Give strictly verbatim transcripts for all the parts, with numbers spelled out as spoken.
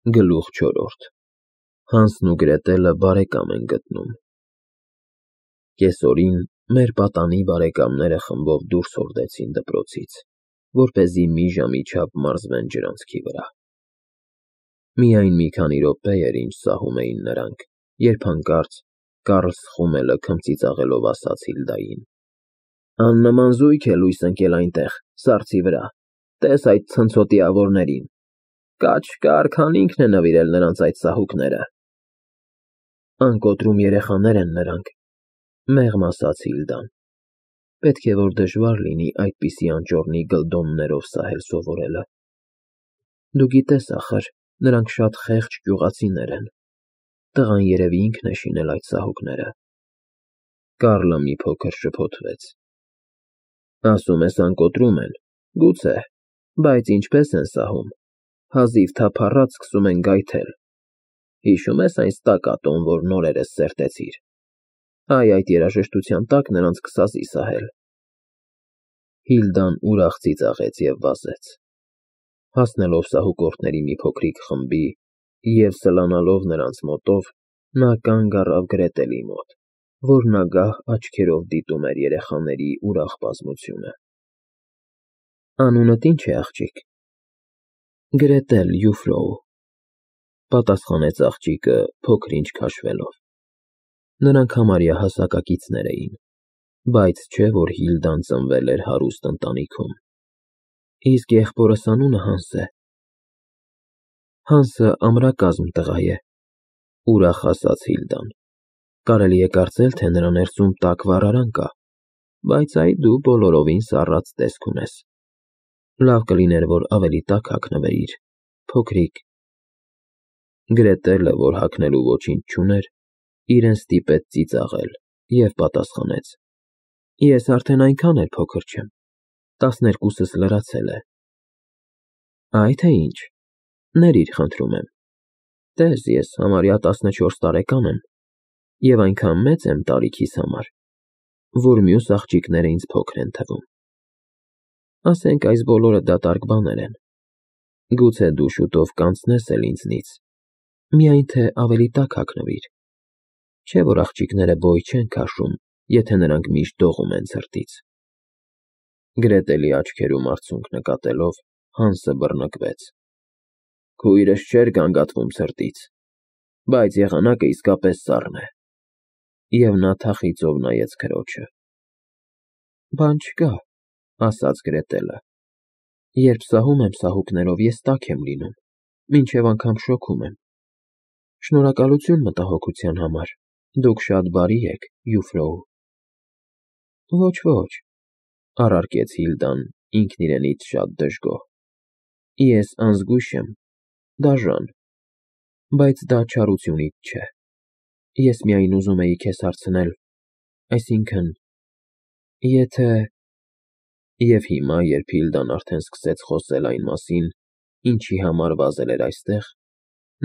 Գլուխ չորրորդ Հանսն ու Գրետելը բարեկամ են գտնում։ Կեսօրին մեր պատանի բարեկամները խմբով դուրս հորդեցին դպրոցից, որպեսզի մի ժամի չափ մարզվեն ջրանցքի վրա։ Միայն մի քանի րոպե էր, ինչ սահում էին նրանք, երբ հանկարծ Կարլ Խումելը քմծիծաղելով ասաց Հիլդային. «Աննման զույգ է լույս ընկել այնտեղ, սառցի վրա, տես այդ ցնցոտիավորներին, կաչ֊կար քան ինքն է նվիրել նրանց այդ սահուկները»։ Անկոտրում երեխաներ են նրանք, մեղմ ասաց Հիլդան, պետք է որ դժվար լինի այդպիսի անճոռնի գլդոններով սահել սովորելը։ Դու գիտես, ախր, նրանք շատ խեղճ գյուղացիներ են, տղան երևի ինքն է շինել այդ սահուկները։ Կարլը մի փոքր շփոթվեց։ Ասում ես անկոտրում են, գուցե, բայց ինչպես են սահում, հազիվ թափառած սկսում են գայթել։ Հիշո՞ւմ ես այն ստակատոն, որ նորերս սերտեցիր, այ այդ երաժշտության տակ նրանց կսազի սահել։ Հիլդան ուրախ ծիծաղեց և վազեց։ Հասնելով սահուկորդների մի փոքրիկ խմբի և սլանալով նրանց մոտով, նա կանգ առավ Գրետելի մոտ, որն ագահ աչքերով դիտում էր երեխաների ուրախ բազմությունը։ Անունդ ի՞նչ է, աղջիկ։ Գրետել Յուֆրոու, պատասխանեց աղջիկը փոքր-ինչ քաշվելով։ Նրանք համարյա հասակակիցներ էին, բայց չէ որ Հիլդան ծնվել էր հարուստ ընտանիքում։ Իսկ եղբորս անունը Հանս է։ Հանսը ամրակազմ տղա է, ուրախ ասաց Հիլդան, կարելի է կարծել, թե նրա ներսում տաք վառարան կա, բայց այ դու բոլորովին սառած տեսք ունես։ Լավ կլիներ, որ ավելի տաք հագնվեիր, փոքրիկ։ Գրետելը, որ հագնելու ոչինչ չուներ, իրեն ստիպեց ծիծաղել և պատասխանեց. Ես արդեն այնքան էլ փոքր չեմ, տասներկուսս լրացել է։ Այ թե ինչ, ներիր, խնդրում եմ, տես, ես համարյա տասնչորս տարեկան եմ և այնքան մեծ եմ տարիքիս համար, որ մյուս աղջիկները ինձ փոքր են թվում։ Ասենք այս բոլորը դատարկ բաներ են, գուցե դու շուտով կանցնես էլ ինձնից, միայն թե ավելի տաք հագնվիր, չէ որ աղջիկները բոյ չեն քաշում, եթե նրանք միշտ դողում են ցրտից։ Գրետելի աչքերում արցունք նկատելով, Հանսը բռնկվեց։ Քույրս չէր գանգատվում ցրտից, բայց եղանակը իսկապես սառն է։ Եվ նա թախիծով նայեց քրոջը։ Բան չկա, ասաց Գրետելը, երբ սահում եմ սահուկներով, ես տաք եմ լինում, մինչև անգամ շոգում եմ։ Շնորհակալություն մտահոգության համար, դուք շատ բարի եք, Յուֆրոու։ Ոչ, ոչ, առարկեց Հիլդան ինքն իրենից շատ դժգոհ, ես անզգույշ եմ, դաժան, բայց դա չարությունից չէ։ Ես միայն ուզում էի քեզ հարցնել, այսինքն, եթե… Եվ հիմա, երբ Հիլդան արդեն սկսեց խոսել այն մասին, ինչի համար վազել էր այստեղ,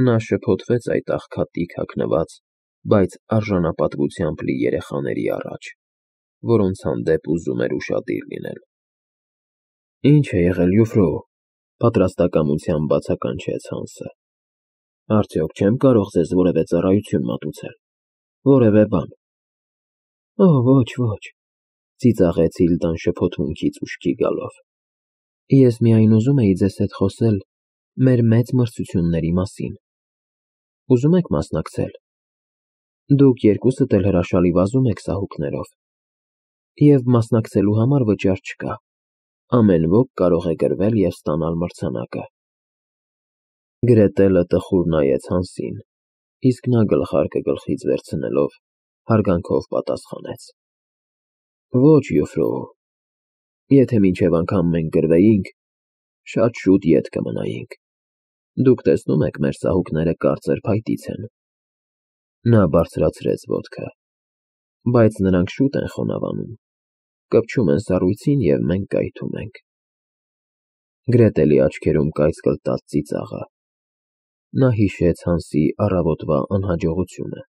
նա շփոթվեց այդ աղքատիկ հագնված, բայց արժանապատվությամբ լի երեխաների առաջ, որոնց հանդեպ ուզում էր ուշադիր լինել։ Ինչ է եղել, Յուֆրոու, պատրաստակամությամբ բացականչեց Հանսը։ Արդյոք չեմ կարող ձեզ որևէ ծառայություն մատուցել, որևէ բան։ Օ, ոչ, ոչ, ծիծաղեց Հիլդան շփոթմունքից ուշքի գալով։ Ես միայն ուզում էի ձեզ հետ խոսել մեր մեծ մրցությունների մասին։ Ուզում եք մասնակցել։ Դուք երկուսդ էլ հրաշալի վազում եք սահուկներով, և մասնակցելու համար վճար չկա, ամեն ոք կարող է գրվել և ստանալ մրցանակը։ Գրետելը տխուր նայեց Հանսին, իսկ նա գլխարկը գլխից վերցնելով, հարգանքով պատասխանեց. Ոչ, Յուֆրոու, եթե մինչև անգամ մենք գրվեինք, շատ շուտ ետ կմնայինք։ Դուք տեսնում եք, մեր սահուկները կարծր փայտից են։ Նա բարձրացրեց ոտքը։ Բայց նրանք շուտ են խոնավանում, կպչում են սառույցին, և մենք կայթում ենք։ Գրետելի աչքերում կայծկլտաց ծիծաղը։ Նա հիշեց Հանսի առավոտվա անհաջողությունը,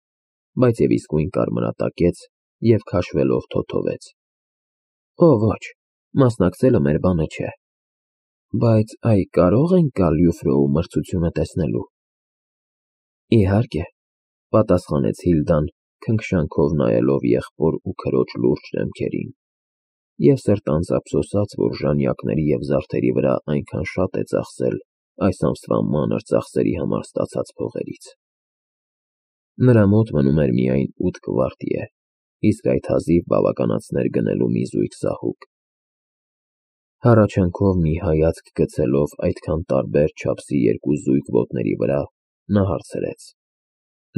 բայց և իսկույն կարմրատակեց և քաշվելով թոթովեց. Օ, ոչ, մասնակցելը մեր բանը չէ։ Բայց այ կարո՞ղ ենք գալ Յուֆրոու մրցությունը տեսնելու։ Իհարկե, պատասխանեց Հիլդան, քնքշանքով նայելով եղբոր ու քրոջ լուրջ դեմքերին, և սրտանց ափսոսաց, որ ժանյակների և զարդերի վրա այնքան շատ է ծախսել այս ամսվա մանր ծախսերի համար ստացած փողերից։ Նրա մոտ մնում էր միայն ութ կվարտիե, իսկ այդ հազիվ բավականացներ գնելու մի զույգ սահուկ։ Հառաչանքով մի հայացք գցելով այդքան տարբեր չափսի երկու զույգ ոտների վրա, նա հարցրեց.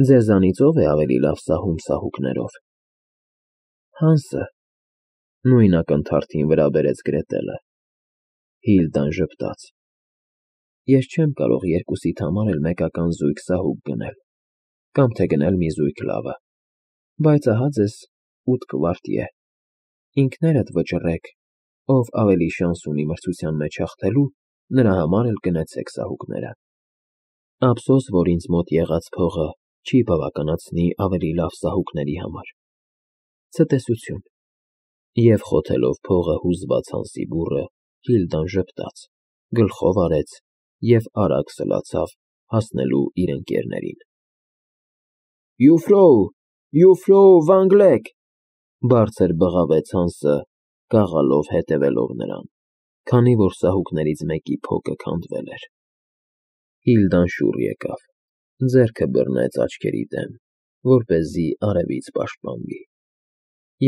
Ձեզանից ո՞վ է ավելի լավ սահում սահուկներով։ Հանսը, նույն ակնթարթին վրա բերեց Գրետելը։ Հիլդան ժպտաց։ Ես չեմ կարող երկուսիդ համար էլ մեկական զույգ սահուկ գնել, կամ թե գնել մի զույգ լավը, բայց ահա ձեզ ութ կվարտիե, ինքներդ վճռեք, ով ավելի շանս ունի մրցության մեջ հաղթելու, նրա համար էլ գնեցեք սահուկները։ Ափսոս, որ ինձ մոտ եղած փողը չի բավականացնի ավելի լավ սահուկների համար։ Ցտեսություն։ Եվ խոթելով փողը հուզված Հանսի բուռը, Հիլդան ժպտաց, գլխով արեց և արագ սլացավ հասնելու իր ընկերներին։ Յուֆրոու, Յուֆրոու Վանգլեք, բարձր բղավեց Հանսը, գաղալով հետևելով նրան, քանի որ սահուկներից մեկի փոքը քանդվել էր։ Հիլդան շուռ եկավ, ձեռքը բռնեց աչքերի դեմ, որպեսզի արևից պաշտպանվի,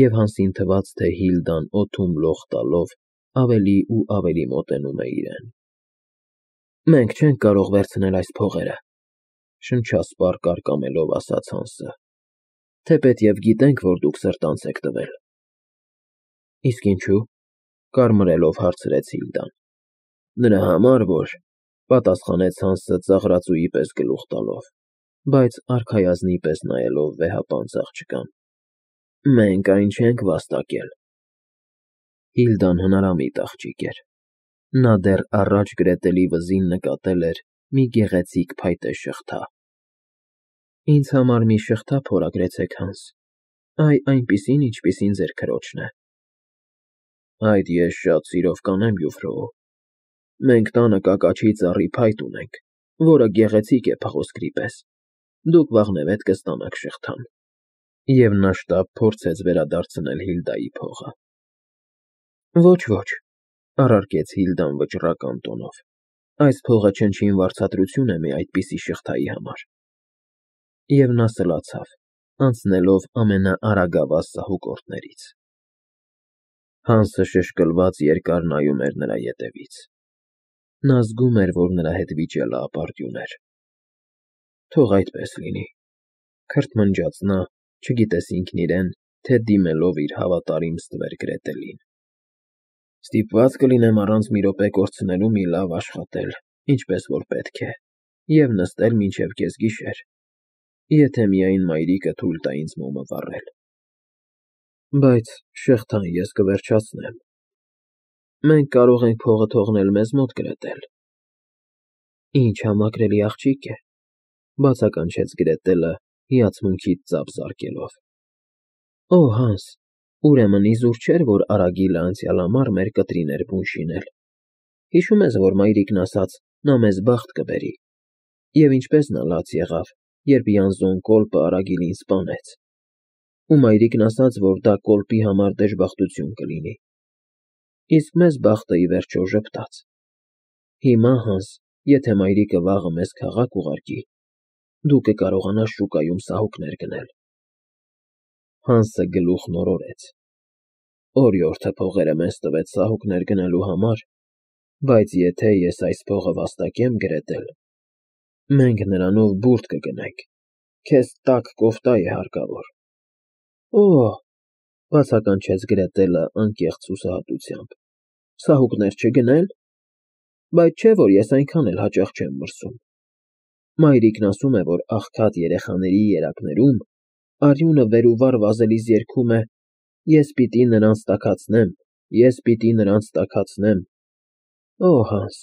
և Հանսին թվաց, թե Հիլդան օդում լող տալով ավելի ու ավելի մոտենում է իրեն։ Մենք չենք կարող վերցնել այս փողերը, շնչասպառ կարկամելով ասաց Հանսը, թեպետև գիտենք, որ դուք սրտանց եք տվել։ Իսկ ինչու՞, կարմրելով հարցրեց Հիլդան։ Նրա համար, որ, պատասխանեց Հանսը ծաղրածուի պես գլուխ տալով, բայց արքայազնի պես նայելով վեհապանծ աղջկան, մենք այն չենք վաստակել։ Հիլդան հնարամիտ աղջիկ էր։ Նա դեռ առաջ Գրետելի վզին նկատել էր մի գեղեցիկ փայտե շղթա։ Ինձ համար մի շղթա փորագրեցեք, Հանս, այ այնպիսին, ինչպիսին ձեր քրոջն է։ Այդ ես շատ սիրով կանեմ, Յուֆրոու։ Մենք տանը կակաչի ծառի փայտ ունենք, որը գեղեցիկ է փղոսկրի պես։ Դուք վաղնևեթ կստանաք շղթան։ Եվ նա շտապ փորձեց վերադարձնել Հիլդայի փողը։ Ոչ, ոչ, առարկեց Հիլդան վճռական տոնով, այս փողը չնչին վարձատրություն է մի այդպիսի շղթայի համար։ Եվ նա սլացավ, անցնելով ամենաարագավազ սահուկորդներից։ Հանսը շշկլված երկար նայում էր նրա ետևից։ Նա զգում էր, որ նրա հետ վիճելը ապարդյուն էր։ Թող այդպես լինի, քրթմնջաց նա, չգիտես ինքն իրեն, թե դիմելով իր հավատարիմ ստվեր Գրետելին։ Ստիպված կլինեմ առանց մի րոպե կորցնելու մի լավ աշխատել, ինչպես որ պետք է, և նստել մինչև կեսգիշեր, եթե միայն մայրիկը թույլ տա ինձ մոմը վառել։ Բայց շղթան ես կվերջացնեմ։ Մենք կարող ենք փողը թողնել մեզ մոտ, Գրետել։ Ինչ համակրելի աղջիկ է, բացականչեց Գրետելը, հիացմունքից ծափ զարկելով։ Օ, Հանս, ուրեմն իզուր չէր, որ Արագիլը անցյալ ամառ մեր կտրին էր բուն շինել։ Հիշում ես, որ մայրիկն ասաց, նա մեզ բախտ կբերի, և ինչպես նա լաց եղավ, երբ Յանզոն կոլպը Արագիլին սպանեց։ Ու մայրիկն ասաց, որ դա կոլպի համար դժբախտություն կլինի։ Իսկ մեզ բախտը ի վերջո ժպտաց։ Հիմա, Հանս, եթե մայրիկը վաղը մեզ քաղաք ուղարկի, դու կկարողանաս շուկայում սահուկներ գնել։ Հանսը գլուխն օրորեց։ Օրիորդը փողերը մեզ տվեց սահուկներ գնելու համար, բայց եթե ես այս փողը վաստակեմ, Գրետել, մենք նրանով բուրդ կգնենք, քեզ տաք կոֆտա է հարկավոր։ Օ՜, բացականչեց Գրետելը անկեղծ հուսահատությամբ, սահուկներ չգնե՞լ։ Բայց չէ՞ որ ես այնքան էլ հաճախ չեմ մրսում։ Մայրիկն ասում է, որ աղքատ երեխաների երակներում արյունը վեր ու վար վազելիս երգում է. Ես պիտի նրանց տաքացնեմ, ես պիտի նրանց տաքացնեմ։ Օ, Հանս,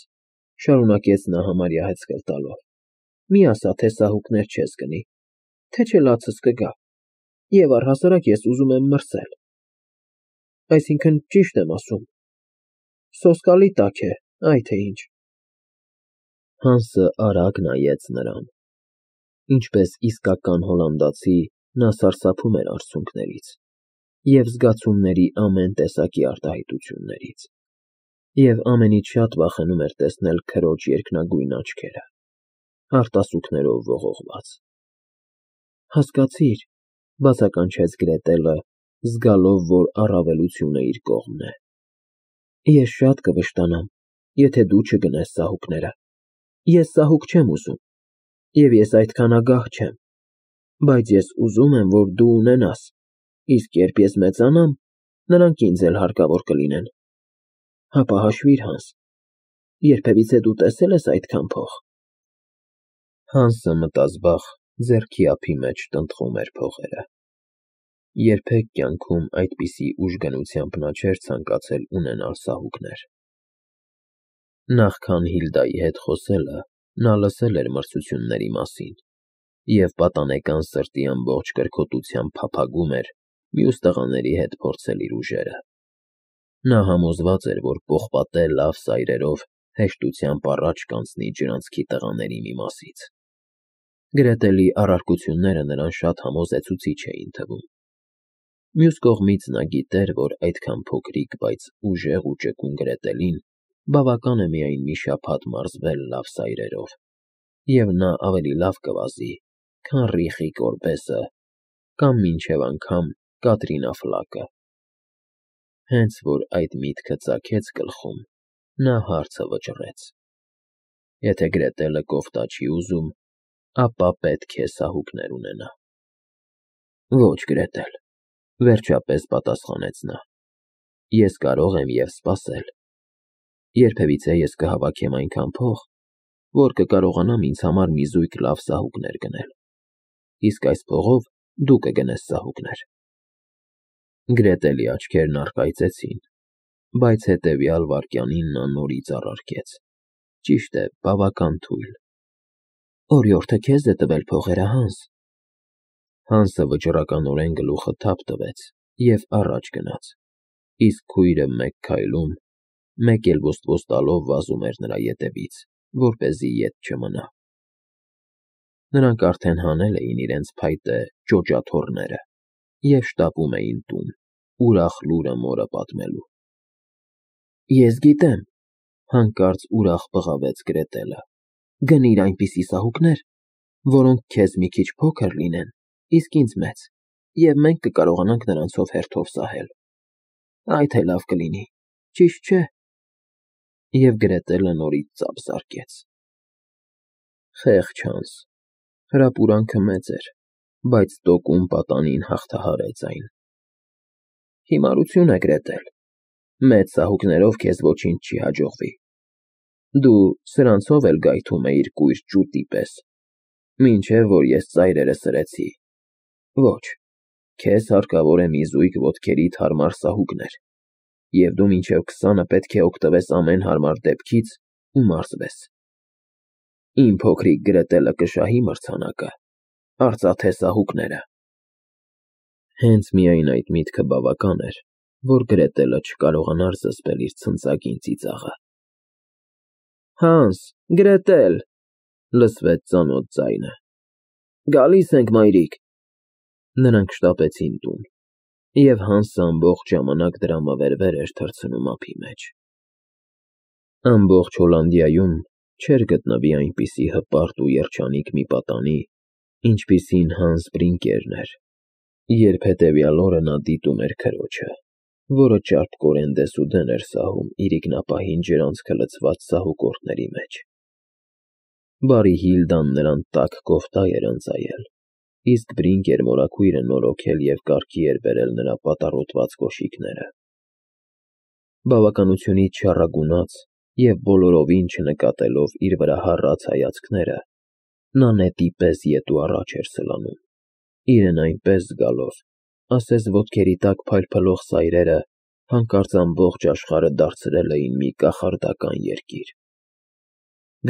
շարունակեց նա համարյա հեծկլ տալով, մի ասա, թե սահուկներ չես գնի, թե չէ լացս կգա, և առհասարակ ես ուզում եմ մրսել։ Այսինքն, ճիշտ եմ ասում։ Սոսկալի տաք է, այ թե ինչ։ Հանսը արագ նայեց նրան։ Ինչպես իսկական հոլանդացի, նա սարսափում էր արցունքներից և զգացումների ամեն տեսակի արտահայտություններից, և ամենից շատ վախենում էր տեսնել քրոջ երկնագույն աչքերը, արտասուքներով ողողված։ Հասկացի՞ր,֊ բացականչեց Գրետելը, զգալով, որ առավելությունը իր կողմն է։ Ես շատ կվշտանամ, եթե դու չգնես ծաղուկները։ Ես ծաղուկ չեմ ուզում, և ես այդքան ագահ չեմ, բայց ես ուզում եմ, որ դու ունենաս, իսկ երբ ես մեծանամ, նրանք ինձ էլ հարկավոր կլինեն։ Հապա հաշվիր, Հանս, երբևիցե դու տեսե՞լ ես այդքան փող։ Հանսը մտազբաղ ձեռքի ափի մեջ տնտղում էր փողերը։ Երբեք կյանքում այդպիսի ուժգնությամբ նա չէր ցանկացել ունենալ ծաղուկներ։ Նախքան Հիլդայի հետ խոսելը, նա լսել էր մրցությունների մասին և պատանեկան սրտի ամբողջ կրքոտությամբ փափագում էր մյուս տղաների հետ փորձել իր ուժերը։ Նա համոզված էր, որ պողպատե լավ սայրերով հեշտությամբ առաջ կանցնի ջրանցքի տղաների մի մասից։ Գրետելի առարկությունները նրան շատ համոզեցուցիչ էին թվում։ Մյուս կողմից նա գիտեր, որ այդքան փոքրիկ, բայց ուժեղ ու ճկուն Գրետելին բավական է միայն մի շաբաթ մարզվել լավ սայրերով, և նա ավելի լավ կվազի, քան Ռիխի Կորբեսը կամ մինչև անգամ Կատրինա Ֆլակը։ Հենց որ այդ միտքը ծագեց գլխում, նա հարցը վճռեց. Եթե Գրետելը կոֆտա չի ուզում, ապա պետք է սահուկներ ունենա։ Ոչ, Գրետել, վերջապես պատասխանեց նա, ես կարող եմ և սպասել։ Երբևիցե ես կհավաքեմ այնքան փող, որ կկարողանամ ինձ համար մի զույգ լավ սահուկներ գնել, իսկ այս փողով դու կգնես ծաղուկներ։ Գրետելի աչքերն առկայծեցին, բայց հետևյալ վայրկյանին նա նորից առարկեց. ճիշտ է, բավական թույլ։ Օրիորդը քեզ է տվել փողերը, Հանս։ Հանսը վճռականորեն գլուխը թափ տվեց և առաջ գնաց, իսկ քույրը մեկ քայլում, մեկ էլ ոսტվոս տալով վազում էր նրա ետևից, որպեսզի ետ չմնա։ Նրանք արդեն հանել էին իրենց փայտե ջոջաթոռները և շտապում էին տուն, ուրախ լուրը մորը պատմելու։ Ես գիտեմ,֊ հանկարծ ուրախ բղավեց Գրետելը,֊ գնիր այնպիսի սահուկներ, որոնք քեզ մի քիչ փոքր լինեն, իսկ ինձ մեծ, և մենք կկարողանանք նրանցով հերթով սահել։ Այդ էլ լավ կլինի, ճիշտ չէ՞։ Եվ Գրետելը նորից ծափ զարկեց։ Խեղճ Հանս, հրապուրանքը մեծ էր, բայց տոկուն պատանին հաղթահարեց այն։ Հիմարություն է, Գրետել, մեծ սահուկներով քեզ ոչինչ չի հաջողվի։ Դու սրանցով էլ գայթում էիր կույր ճուտի պես, մինչև որ ես ծայրերը սրեցի։ Ոչ, քեզ հարկավոր է մի զույգ ոտքերիդ հարմար սահուկներ, և դու մինչև քսանը պետք է օգտվես ամեն հարմար դեպքից ու մարզվես։ Իմ փոքրիկ Գրետելը կշահի մրցանակը, արծաթե սահուկները։ Հենց միայն այդ միտքը բավական էր, որ Գրետելը չկարողանար զսպել իր ցնծագին ծիծաղը։ Հանս, Գրետել,֊ լսվեց ծանոթ ձայնը։ Գալիս ենք, մայրիկ։ Նրանք շտապեցին տուն, և Հանսը ամբողջ ժամանակ դրամավերվեր էր թռցնում ափի մեջ։ Ամբողջ Հոլանդիայում չէր գտնվի այնպիսի հպարտ ու երջանիկ մի պատանի, ինչպիսին Հանս Բրինկերն էր, երբ հետևյալ օրը նա դիտում էր քրոջը, որը ճարպկորեն դեսուդեն էր սահում իրիկնապահին ջրանցքը լցված սահուկորդների մեջ։ Բարի Հիլդան նրան տաք կոֆտա էր ընծայել, իսկ Բրինկեր մորաքույրը նորոգել և կարգի էր բերել նրա պատառոտված կոշիկները։ Բավականությունից չառագունած և բոլորովին չնկատելով իր վրա հառած հայացքները, նա նետի պես ետ ու առաջ էր սլանում, իրեն այնպես զգալով, ասես ոտքերի տակ փայլփլող սայրերը հանկարծ ամբողջ աշխարհը դարձրել էին մի կախարդական երկիր։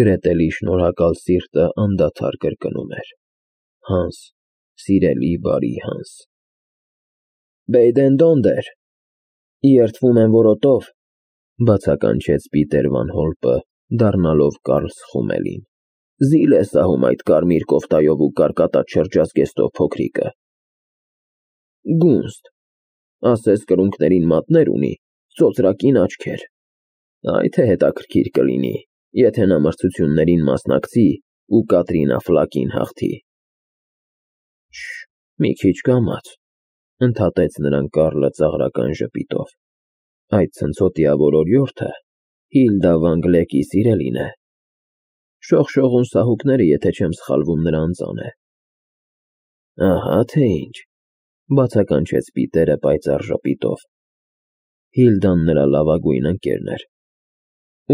Գրետելի շնորհակալ սիրտը անդադար կրկնում էր. Հանս, սիրելի բարի Հանս։ Բեյդեն֊Դոնդեր, երդվում եմ որոտով,֊ բացականչեց Պիտեր վան Հոլպը, դառնալով Կարլ Սխումելին։ Զիլ է սահում այդ կարմիր կոֆտայով ու կարկատած շրջազգեստով փոքրիկը։ Գունստ, ասես կրունկներին մատներ ունի, ծոծրակին աչքեր։ Այ թե հետաքրքիր կլինի, եթե նա մրցություններին մասնակցի ու Կատրինա Ֆլակին հաղթի։ Շ, մի քիչ կամաց, ընդհատեց նրան Կարլը ծաղրական ժպիտով։ Այդ ցնցոտիավոր օրիորդը Հիլդա Վան Գլեկի սիրելին է։ Շողշողուն սահուկները, եթե չեմ սխալվում, նրա անծան է։ Ահա թե ինչ, բացականչեց Պիտերը պայծառ ժպիտով։ Հիլդան նրա լավագույն ընկերն էր։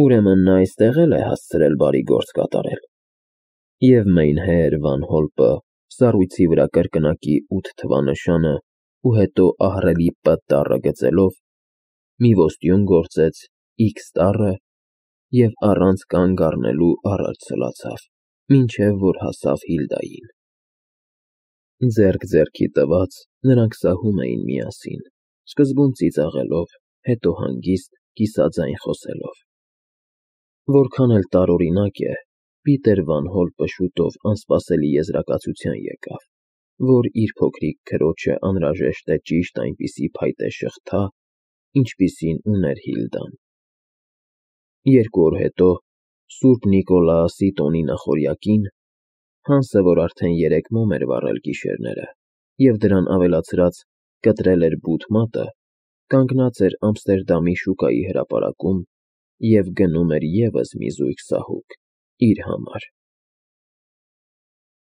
Ուրեմն նա այստեղ էլ է հասցրել բարի գործ կատարել։ Եվ Մեյնհեր Վան Հոլպը սառույցի վրա կրկնակի ութ թվանշանը ու հետո ահռելի Պ տառը գծելով մի ոստյուն գործեց X տառը և առանց կանգ առնելու առաջ սլացավ, մինչև որ հասավ Հիլդային։ Ձեռք ձեռքի տված նրանք սահում էին միասին, սկզբում ծիծաղելով, հետո հանգիստ, կիսաձայն խոսելով։ Որքան էլ տարօրինակ է, Պիտեր Վան Հոլպը շուտով անսպասելի եզրակացության եկավ, որ իր փոքրիկ քրոջը անհրաժեշտ է ճիշտ այնպիսի փայտե շղթա, ինչպիսին ուներ Հիլդան։ Երկու օր հետո, Սուրբ Նիկոլաասի տոնի նախօրյակին, Հանսը, որ արդեն երեք մոմ էր վառել գիշերները և դրան ավելացրած կտրել էր բութ մատը, կանգնած էր Ամստերդամի շուկայի հրապարակում և գնում էր ևս մի զույգ սահուկ իր համար։